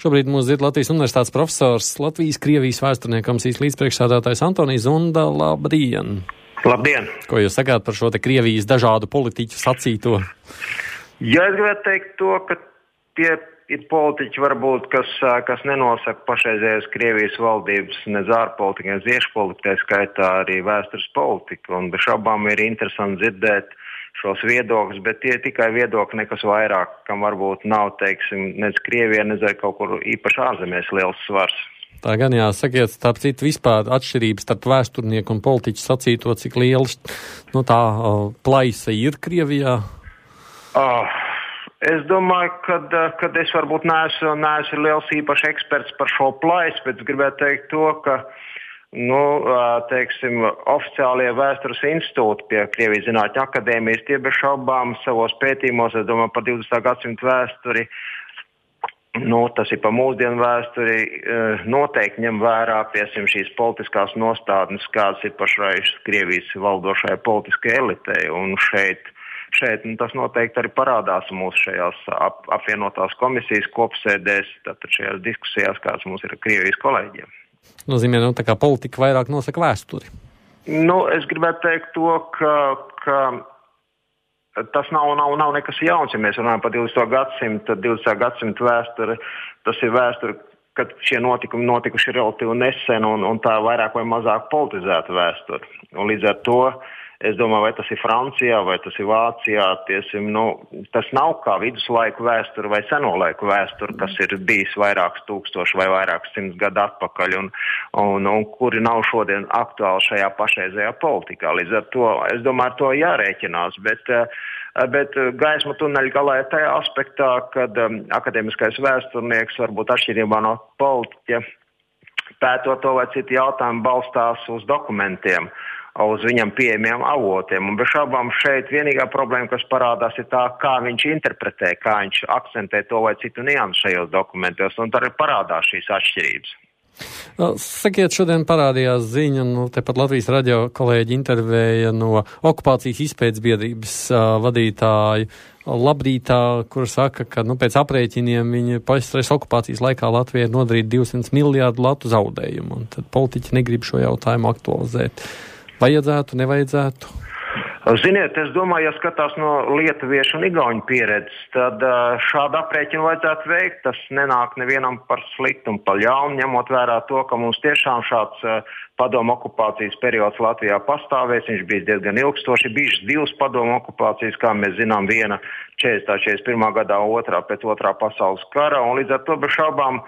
Šobrīd mūs dzird Latvijas Universitātes profesors, Latvijas-Krievijas vēsturnieku komisijas līdzpriekšsēdētājs Antonijs Zunda. Labdien! Labdien! Ko jūs sakāt par šo te Krievijas dažādu politiķu sacīto? Ja es gribētu teikt to, ka tie ir politiķi varbūt, kas nenosaka pašreizējās Krievijas valdības ne ārpolitika, ne iekšpolitika, tā skaitā arī vēstures politika. Un bez šaubām ir interesanti dzirdēt šos viedokļus, bet tie tikai viedokļi, nekas vairāk, kam varbūt nav, teiksim, nec Krievijā, nec kaut kur īpaši ārzemēs liels svars. Tā gan jāsakiet, starp citu vispār atšķirības starp vēsturnieku un politiķu sacīto, cik liels tā plaisa ir Krievijā? Es domāju, ka es varbūt neesmu liels īpaši eksperts par šo plaisu, bet es gribētu teikt to, ka teiksim, oficiālie vēstures institūti pie Krievijas Zinātņu akadēmijas, tie bez šaubām savos pētījumos, es domāju, par 20. gadsimtu vēsturi, tas ir par mūsdienu vēsturi, noteikti ņem vērā, piesim, šīs politiskās nostādnes, kādas ir pašreiz Krievijas valdošajai politiskajai elitei, un šeit tas noteikti arī parādās mūsu šajās apvienotās komisijas kopsēdēs, tātad šajās diskusijās, kādas mums ir ar Krievijas kolēģiem. Nozīmē, tā kā politika vairāk nosaka vēsturi. Es gribētu teikt to, ka tas nav nekas jauns, ja mēs runājam par 20. gadsimtu vēsturi. Tas ir vēsture, kad šie notikumi notikuši relatīvi nesen un tā vairāk vai mazāk politizēta vēsture. Un līdz ar to, es domāju, vai tas ir Francijā, vai tas ir Vācijā, tas nav kā viduslaiku vēsture vai seno laiku vēsture, kas ir bijis vairākus tūkstoši vai vairākus simtus gadu atpakaļ un kuri nav šodien aktuāli šajā pašreizējā politikā. Līdz ar to, es domāju, ar to jārēķinās, bet gaisma tuneļa galā ir tajā aspektā, kad akadēmiskais vēsturnieks varbūt atšķirībā no politiķa pētot to vai citu jautājumu balstās uz dokumentiem, uz viņam pieejamiem avotiem. Un bez šaubām šeit vienīgā problēma, kas parādās, ir tā, kā viņš interpretē, kā viņš akcentē to vai citu niansu šajos dokumentos, un tad parādās šīs atšķirības. Sakiet, šodien parādījās ziņa, tepat Latvijas radio kolēģi intervēja no okupācijas izpētes biedrības vadītāju Labrītā, kur saka, ka pēc aprēķiniem viņi pašreiz okupācijas laikā Latvijai ir nodarīt 200 miljārdu latu zaudējumu, un tad politiķi negrib šo jautājumu aktualizēt. Vajadzētu, nevajadzētu? Ziniet, es domāju, ja skatās no lietuviešu un igauņu pieredzes, tad šādu aprēķinu vajadzētu veikt. Tas nenāk nevienam par sliktu un par ļaunu, ņemot vērā to, ka mums tiešām šāds padomu okupācijas periods Latvijā pastāvēs. Viņš bija diezgan ilgstoši, bijušas divas padomu okupācijas, kā mēs zinām, viena 41. gadā, otrā pēc otrā pasaules kara, un līdz ar to bez šaubām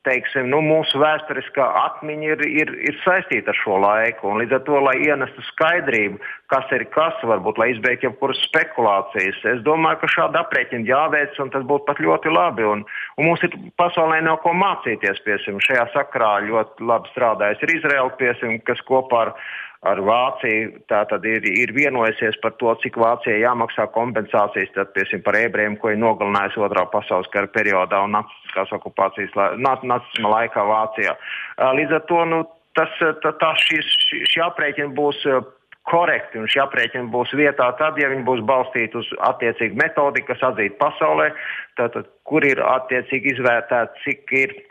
teiksim, mūsu vēsturiskā atmiņa ir saistīta ar šo laiku, un līdz ar to, lai ienestu skaidrību, kas ir kas, varbūt, lai izbeigtu jebkuras spekulācijas, es domāju, ka šāda aprēķina jāveic, un tas būtu pat ļoti labi, un mums ir pasaulē nav ko mācīties, piesim, šajā sakarā ļoti labi strādājas ir Izraela, piesim, kas kopā ar Vāciju tātad ir vienojusies par to, cik Vācijai jāmaksā kompensācijas, tad, piesim, par ebrejiem, ko ir nogalinājusi otrā pasaules kara periodā un nacistiskās okupācijas nacisma laikā Vācijā. Līdz ar to, šī aprēķina būs korekti, un šī aprēķina būs vietā tad, ja viņi būs balstīti uz attiecīgu metodiku, kas atzīta pasaulē, tātad, kur ir attiecīgi izvērtēta, cik ir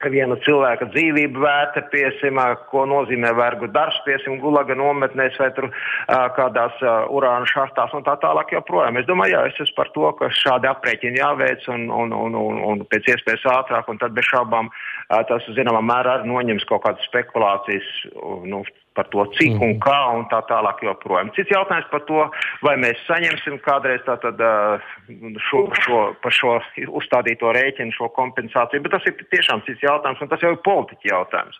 viena cilvēka dzīvība vērta, piesim, ko nozīmē vergu darbs, piesim, Gulaga nometnēs vai tur kādās urāna šahtās un tā tālāk joprojām. Es domāju, es esmu par to, ka šādi aprēķini jāveic un pēc iespējas ātrāk, un tad bez šaubām tas, zināmā mērā, arī noņems kaut kādas spekulācijas, par to, cik un kā un tā tālāk joprojām. Cits jautājums par to, vai mēs saņemsim kādreiz tātad par šo uzstādīto rēķinu, šo kompensāciju, bet tas ir tiešām cits jautājums, un tas jau ir politiķa jautājums.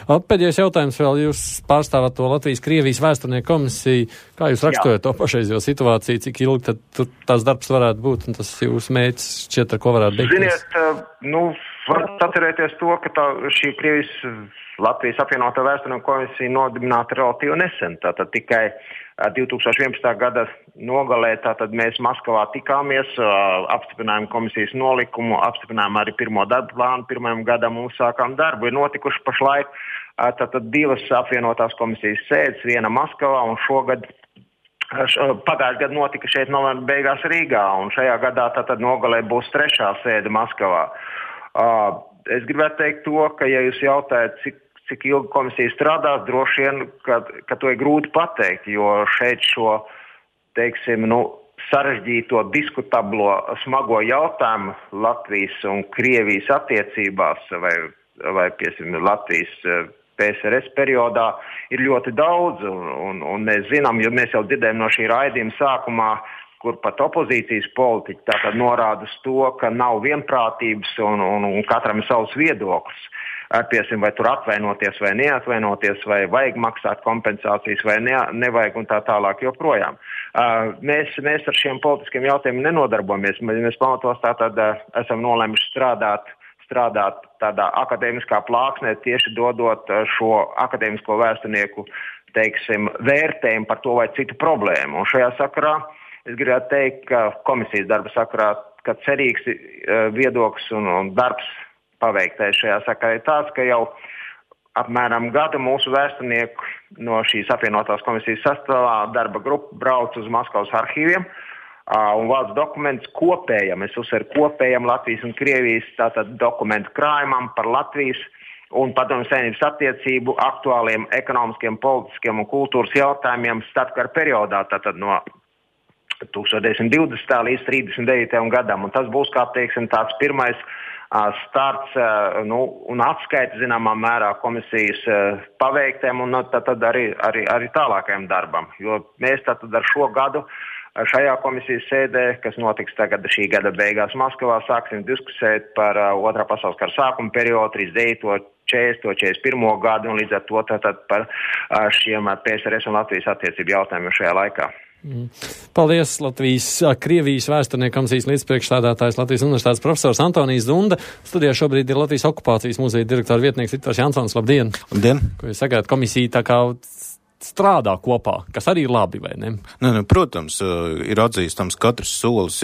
Pēdējais jautājums vēl, jūs pārstāvat to Latvijas-Krievijas vēsturnieku komisiju. Kā jūs raksturojat to pašreizējo situāciju, cik ilgi tad tās darbs varētu būt, un tas jūsu mērķis šķiet, ar ko varētu beigties? Ziniet, varat atcerēties to, ka šī Latvijas apvienotā vēsturnieku komisija nodibināta relatīvi nesen. Tātad tikai 2011. gada nogalē, tātad mēs Maskavā tikāmies, apstiprinājām komisijas nolikumu, apstiprinājām arī pirmo darbu plānu, pirmajam gadam un sākām darbu. Ir notikuši pašlaik tātad divas apvienotās komisijas sēdes, viena Maskavā un šogad Pagājušajā gadā notika šeit novembra beigās Rīgā, un šajā gadā tātad nogalē būs 3. sēde Maskavā. Es gribētu teikt to, ka, ja jūs jautājat, cik ilgi komisija strādās, droši vien, ka to ir grūti pateikt, jo šeit šo, teiksim, sarežģīto, diskutablo, smago jautājumu Latvijas un Krievijas attiecībās vai piesim, Latvijas PSRS periodā ir ļoti daudz, un mēs zinām, jo mēs jau dzirdējam no šī raidījuma sākumā, kur pat opozīcijas politiķi tātad norāda uz to, ka nav vienprātības un katram ir savs viedoklis. Piesim, vai tur atvainoties vai neatvainoties, vai vajag maksāt kompensācijas vai nevajag un tā tālāk joprojām. Mēs ar šiem politiskiem jautājumiem nenodarbojamies. Mēs pamatos tātad esam nolēmuši strādāt tādā akadēmiskā plāksnē, tieši dodot šo akadēmisko vēsturnieku, teiksim, vērtējumu par to vai citu problēmu. Un šajā sakarā es gribētu teikt, ka komisijas darba sakarā, ka cerīgs viedoklis un darbs paveiktais šajā sakarā ir tāds, ka jau apmēram gadu mūsu vēsturnieku no šīs apvienotās komisijas sastāvā darba grupa brauc uz Maskavas arhīviem un vāc dokumentus kopējam, es uzsveru kopējam Latvijas un Krievijas tātad dokumentu krājumam par Latvijas un Padomju Savienības attiecību aktuāliem ekonomiskiem, politiskiem un kultūras jautājumiem starpkara periodā, tātad no 1920. līdz 39. gadam. Un tas būs, kā teiksim, tāds pirmais starts un atskaita zināmā mērā komisijas paveiktiem un tad arī tālākajam darbam. Jo mēs tātad ar šo gadu šajā komisijas sēdē, kas notiks tagad šī gada beigās Maskavā, sāksim diskusēt par Otrā pasaules kara sākuma periodu, 39., 40., 41. gadu un līdz ar to tātad par šiem PSRS un Latvijas attiecību jautājumiem šajā laikā. Paldies, Krievijas vēsturnieku komisijas līdzpriekšsēdētājs Latvijas Universitātes profesors Antonijs Zunda. Studijā šobrīd ir Latvijas okupācijas muzeja direktora vietnieks Viktors Jansons. Labdien! Labdien! Ko jūs sagājat, komisija tā kā strādā kopā, kas arī ir labi, vai ne? Protams, ir atzīstams katrs solis,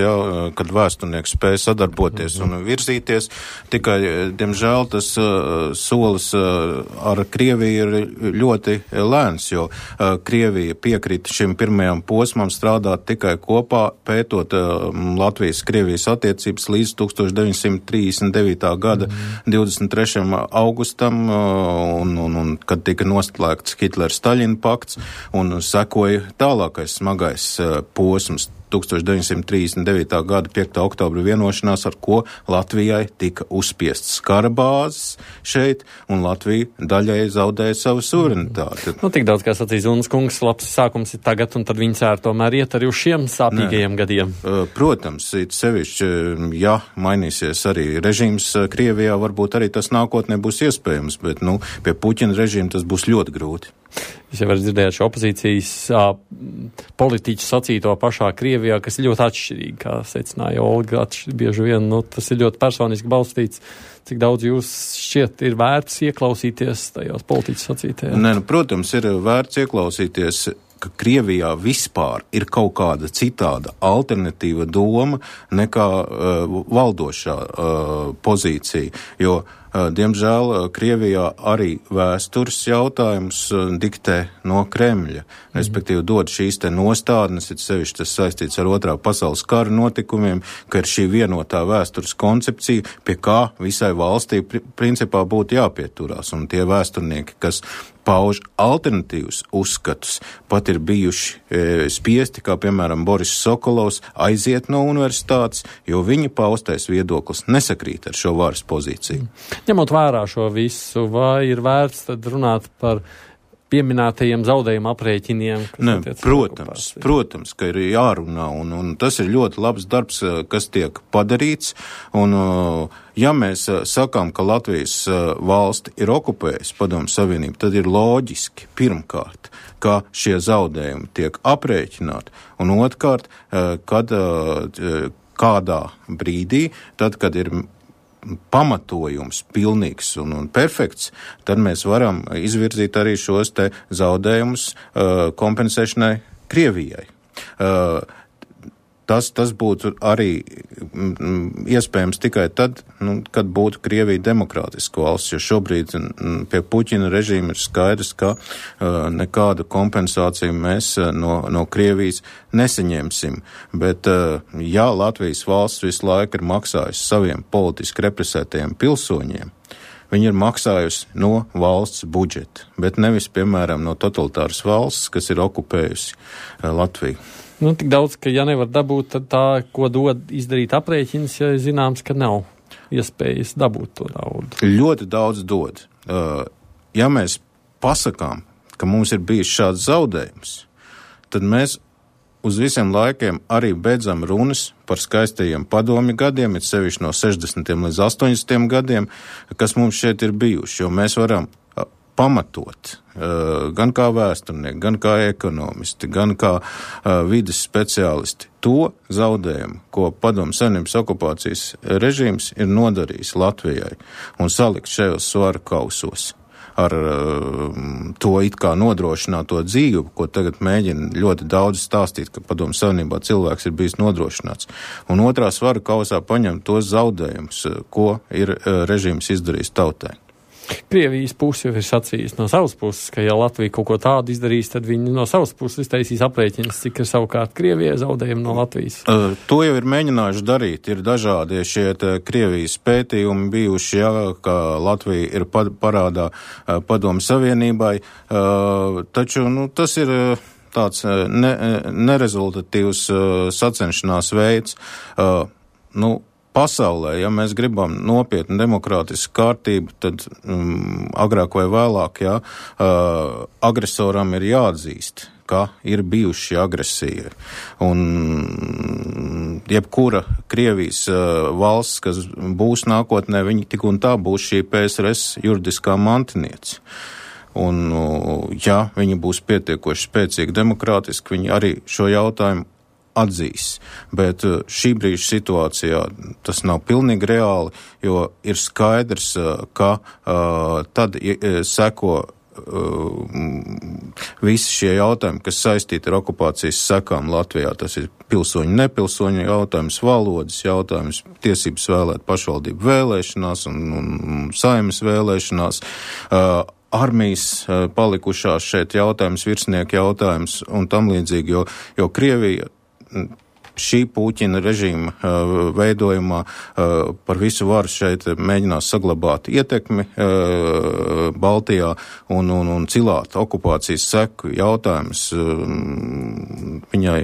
kad vēsturnieks spēj sadarboties un virzīties. Tikai, diemžēl, tas solis ar Krieviju ir ļoti lēns, jo Krievija piekrita šim pirmajam posmam strādāt tikai kopā, pētot Latvijas-Krievijas attiecības līdz 1939. gada 23. augustam, un kad tika noslēgts Hitlera-Staļina pakts, un sekoja tālākais smagais posms 1939. gada 5. oktobra vienošanās, ar ko Latvijai tika uzspiestas kara bāzes šeit, un Latvija daļai zaudēja savu suverenitāti. Tik daudz, kā sacīja Zunas kungs, labs sākums ir tagad, un tad viņi cēr tomēr iet arī uz šiem sāpīgajiem gadiem. Protams, it sevišķi, ja mainīsies arī režīms Krievijā, varbūt arī tas nākotnē būs iespējams, bet, pie Puķina režīma tas būs ļoti grūti. Jūs jau varat dzirdēt šo opozīcijas politiķu sacīto pašā Krievijā, kas ir ļoti atšķirīgi, kā secināja Olga, bieži vien, tas ir ļoti personiski balstīts. Cik daudz jūs šķiet ir vērts ieklausīties tajos politiķu sacītajā? Protams, ir vērts ieklausīties, ka Krievijā vispār ir kaut kāda citāda alternatīva doma nekā valdošā pozīcija, jo diemžēl Krievijā arī vēstures jautājums diktē no Kremļa, respektīvi dod šīs te nostādnes, ir sevišķi tas saistīts ar Otrā pasaules kara notikumiem, ka ir šī vienotā vēstures koncepcija, pie kā visai valstī principā būtu jāpieturās, un tie vēsturnieki, kas pauž alternatīvus uzskatus, pat ir bijuši spiesti, kā piemēram Boris Sokolovs, aiziet no universitātes, jo viņa paustais viedoklis nesakrīt ar šo varas pozīciju. Ņemot vērā šo visu, vai ir vērts tad runāt par pieminētajiem zaudējumu aprēķiniem? Protams, ka ir jārunā, un tas ir ļoti labs darbs, kas tiek padarīts, un ja mēs sakām, ka Latvijas valsti ir okupējusi Padomju Savienību, tad ir loģiski, pirmkārt, ka šie zaudējumi tiek aprēķināti, un otrkārt, kad kādā brīdī, tad, kad ir pamatojums pilnīgs un perfekts, tad mēs varam izvirzīt arī šos te zaudējumus kompensēšanai Krievijai. Tas būtu arī iespējams tikai tad, kad būtu Krievija demokrātiska valsts, jo šobrīd pie Puķina režīma ir skaidrs, ka nekādu kompensāciju mēs no Krievijas nesaņemsim. Bet, ja Latvijas valsts visu laiku ir maksājusi saviem politiski represētajiem pilsoņiem, viņi ir maksājusi no valsts budžeta, bet nevis, piemēram, no totalitāras valsts, kas ir okupējusi Latviju. Tik daudz, ka ja nevar dabūt, tad tā, ko dod izdarīt aprēķins, ja zināms, ka nav iespējas dabūt to naudu. Ļoti daudz dod. Ja mēs pasakām, ka mums ir bijis šāds zaudējums, tad mēs uz visiem laikiem arī beidzam runas par skaistajiem padomju gadiem, it sevišķi no 60. līdz 80. gadiem, kas mums šeit ir bijuši, jo mēs varam pamatot gan kā vēsturnieki, gan kā ekonomisti, gan kā vides speciālisti to zaudējumu, ko Padomju Savienības okupācijas režīms ir nodarījis Latvijai un salikt šajos svaru kausos ar to it kā nodrošināto dzīvi, ko tagad mēģina ļoti daudz stāstīt, ka Padomju Savienībā cilvēks ir bijis nodrošināts. Un otrā svaru kausā paņemt tos zaudējumus, ko ir režīms izdarījis tautai. Krievijas puse jau ir sacījis no savas puses, ka ja Latvija kaut ko tādu izdarīs, tad viņi no savas puses iztaisīs aprēķinas, cik ir savukārt Krievijai zaudējumi no Latvijas. To jau ir mēģinājuši darīt. Ir dažādi šie Krievijas pētījumi bijuši, ka Latvija ir parādā Padomju Savienībai, taču tas ir tāds nerezultatīvs sacenšanās veids. Pasaulē, ja mēs gribam nopietnu demokrātisku kārtību, tad agrāk vai vēlāk, agresoram ir jāatzīst, ka ir bijuši agresija. Un jebkura Krievijas valsts, kas būs nākotnē, viņi tik un tā būs šī PSRS juridiskā mantiniece. Un, ja viņi būs pietiekoši spēcīgi demokrātiski, viņi arī šo jautājumu atzīs, bet šī brīža situācijā tas nav pilnīgi reāli, jo ir skaidrs, ka tad seko visi šie jautājumi, kas saistīti ar okupācijas sekām Latvijā. Tas ir pilsoņu, nepilsoņu jautājums, valodas jautājums, tiesības vēlēt pašvaldību vēlēšanās un saeimas vēlēšanās, armijas palikušās šeit jautājums, virsnieku jautājums un tam līdzīgi, jo Krievija šī Puķina režīma veidojumā par visu varu šeit mēģinās saglabāt ietekmi Baltijā un cilāt okupācijas seku jautājums viņai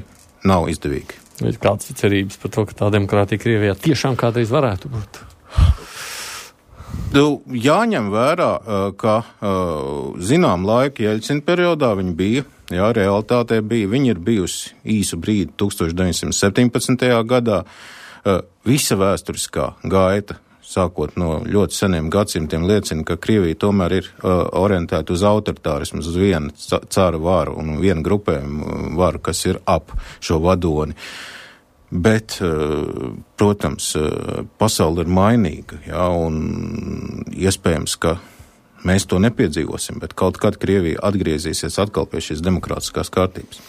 nav izdevīgi. Ir kāds cerības par to, ka tā demokrātija Krievijā tiešām kādreiz varētu būt? Jāņem vērā, ka zinām laika Jeļcina periodā viņi bija, realitātē bija, viņi ir bijusi īsu brīdi 1917. gadā, visa vēsturiskā gaita, sākot no ļoti seniem gadsimtiem, liecina, ka Krievija tomēr ir orientēta uz autoritārismu, uz vienu cara varu un vienu grupējumu varu, kas ir ap šo vadoni. Bet, protams, pasaule ir mainīga, un iespējams, ka mēs to nepiedzīvosim, bet kaut kad Krievija atgriezīsies atkal pie šīs demokrātiskās kārtības.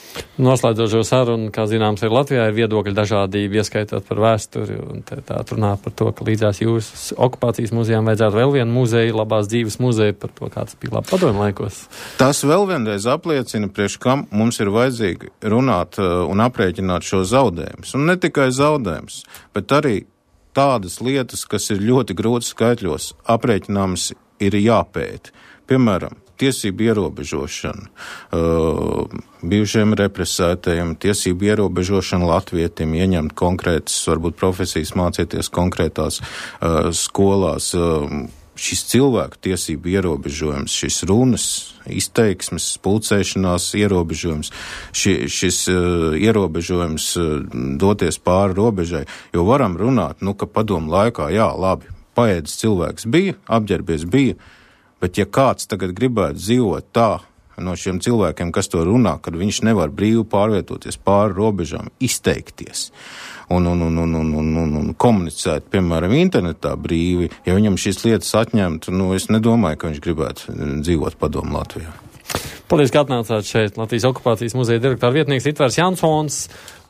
Noslēdzot šo sarunu, kā zināms, ir Latvijā ir viedokļu dažādība, ieskaitot par vēsturi, un tā runā par to, ka līdzās jūras okupācijas muzejām vajadzētu vēl vienu muzeju, labās dzīves muzeju, par to, kāds bija labi padomju laikos. Tas vēl vienreiz apliecina, priekš kam mums ir vajadzīgi runāt un aprēķināt šo zaudējumus. Un ne tikai zaudējumus, bet arī tādas lietas, kas ir ļoti grūti skaitļos aprēķināmas, ir jāpēta. Piemēram, tiesību ierobežošana bijušiem represētajiem, tiesību ierobežošana latvietim, ieņemt konkrētas, varbūt profesijas, mācīties konkrētās skolās. Šis cilvēku tiesību ierobežojums, šis runas, izteiksmes, pulcēšanās ierobežojums, šis ierobežojums doties pāri robežai, jo varam runāt, ka padomu laikā, labi, paēdis cilvēks bija, apģērbies bija, bet ja kāds tagad gribētu dzīvot tā no šiem cilvēkiem, kas to runā, kad viņš nevar brīvi pārvietoties pāri robežām, izteikties un komunicēt, piemēram, internetā brīvi, ja viņam šīs lietas atņemtu, es nedomāju, ka viņš gribētu dzīvot padomu Latvijā. Paldies, ka atnācāt šeit. Latvijas okupācijas muzeja direktora vietnieks Ritvers Jansons.